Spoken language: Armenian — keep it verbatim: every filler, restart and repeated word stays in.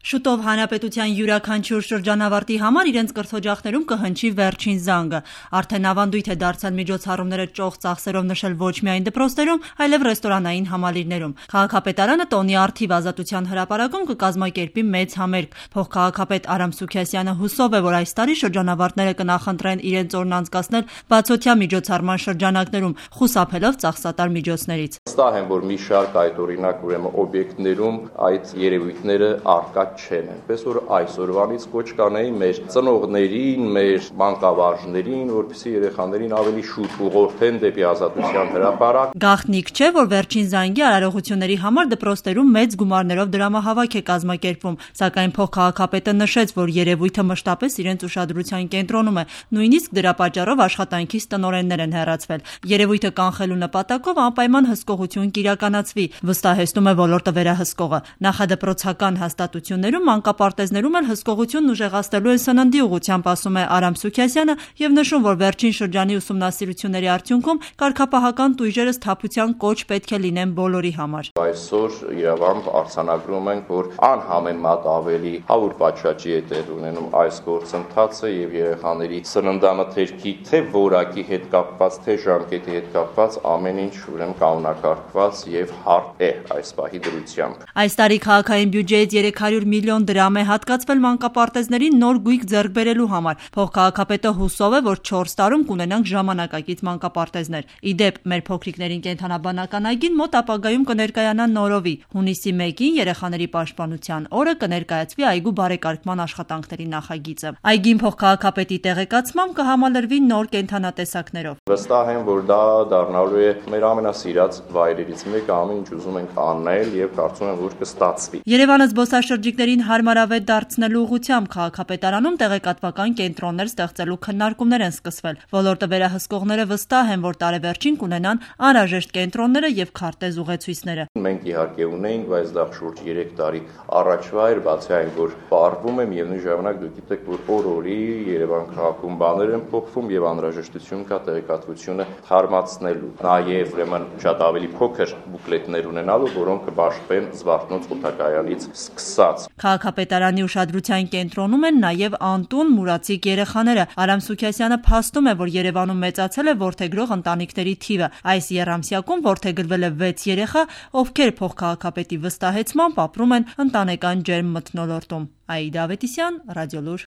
Շուտով հանրապետության յուրաքանչյուր շրջանավարտի համար իրենց կրթօջախներում կհնչի վերջին զանգը։ Արդեն ավանդույթ է դարձել միջոցառումները ճոխ ծախսերով նշել ոչ միայն դպրոցներում, այլև ռեստորանային համալիրներում։ Քաղաքապետարանը տոնի առթիվ Ազատության հրապարակում կկազմակերպի մեծ համերգ։ Փոխքաղաքապետ Արամ Սուքիասյանը հուսով է, որ այս տարի շրջանավարտները կնախընտրեն իրենց օրն անցկացնել բացօթյա միջոցառման շրջանակներում, խուսափելով ծախսատար միջոցներից։ Վստահ եմ, որ մի շարք այդ օրինակ ուրեմն օբյեկտներում այդ երևույթները առկա չեն, այնպես որ այսօրվանից կոչ կանեի մեր ծնողներին, մեր մանկավարժներին, որպեսզի երեխաներին ավելի շուտ ուղղորդեն դեպի Ազատության հրապարակ։ Գաղտնիք չէ, որ վերջին զանգի արարողությունների համար դպրոցներում մեծ գումարներով դրամահավաք է կազմակերպվում, սակայն փոխքաղաքապետը նշեց, որ երևույթը մշտապես իրենց ուշադրության կենտրոնում է, նույնիսկ դրա պատճառով աշխատանքից տնօրեններ են հեռացվել։ Երևույթը կանխելու նպատակով անպայման հսկողություն կիրականացվի, վստահեցնում է ոլորտը վերահսկողը։ Նախադպրոցական հաստատություններում, մանկապարտեզներում էլ հսկողությունն ուժեղացնելու են սննդի ուղղությամբ, ասում է Արամ Սուքիասյանը եւ նշում, որ վերջին շրջանի ուսումնասիրությունների արդյունքում կարգապահական տույժերը սթափության կոչ պետք է լինեն բոլորի համար։ Այսօր իրավամբ արձանագրում ենք, որ անհամեմատ ավելի հավուր պատշաճի է տեղ ունենում այս գործընթացը եւ երեխաների սննդամթերքի թե որակի հետ կապված, թե ժամկետի հետ կապված ամեն ինչ ուրեմն կանոնակարգված եւ հարթ է այս պահի դրությամբ։ Այս տարի քաղաքային բյուջեից երեք հարյուր միլիոն դրամ է հատկացվել մանկապարտեզներին նոր գույք ձեռք բերելու համար։ Փոխքաղաքապետը հուսով է, որ չորս տարում կունենանք ժամանակակից մանկապարտեզներ։ Ի դեպ, մեր փոքրիկներին կենդանաբանական այգին մոտ ապագայում կներկայանա նորովի։ Հունիսի մեկին երեխաների պաշտպանության օրը կներկայացվի այգու բարեկարգման աշխատանքների նախագիծը։ Այգին փոխքաղաքապետի տեղեկացմամբ կհամալրվի նոր կենդանատեսակներով։ Վստահ եմ, որ դա դառնալու է մեր ամենասիրած վայրերից մեկը, ամեն ինչ ուզում ենք անել եւ կարծում եմ, որ կստացվի։ Երևանը զբոսաշրջիկներին հարմարավետ դարձնելու ուղղությամբ քաղաքապետարանում տեղեկատվական կենտրոններ ստեղծելու քննարկումներ են սկսվել։ Ոլորտը վերահսկողները վստահ են, որ տարեվերջին կունենան անհրաժեշտ կենտրոնները եւ քարտեզ ուղեցույցները։ Մենք իհարկե ունենք, բայց դա շուրջ երեք տարի առաջվա էր, բացի այն, որ պարվում եմ եւ նույն ժամանակ դուք գիտեք, որ օր-օրի Երևան քաղաքում բաներ են փոխվում եւ անհրաժեշտություն կա տեղեկատվությունը թարմացնելու։ Նաեւ ուրեմն շատ ավելի փոքր բուկլետներ ունենալու, որոնք կբաշխվեն Զվարթնոց օդակայանից սկսած։ Քաղաքապետարանի ուշադրության կենտրոնում են նաև անտուն մուրացիկ երեխաները։ Արամ Սուքիասյանը փաստում է, որ Երևանում մեծացել է որդեգրող ընտանիքների թիվը։ Այս եռամսյակում որդեգրվել է վեց երեխա, ովքեր փոխքաղաքապետի վստահեցմամբ ապրում են ընտանեկան ջերմ մթնոլորտում։ Աիդա Ավետիսյան, Ռադիոլուր։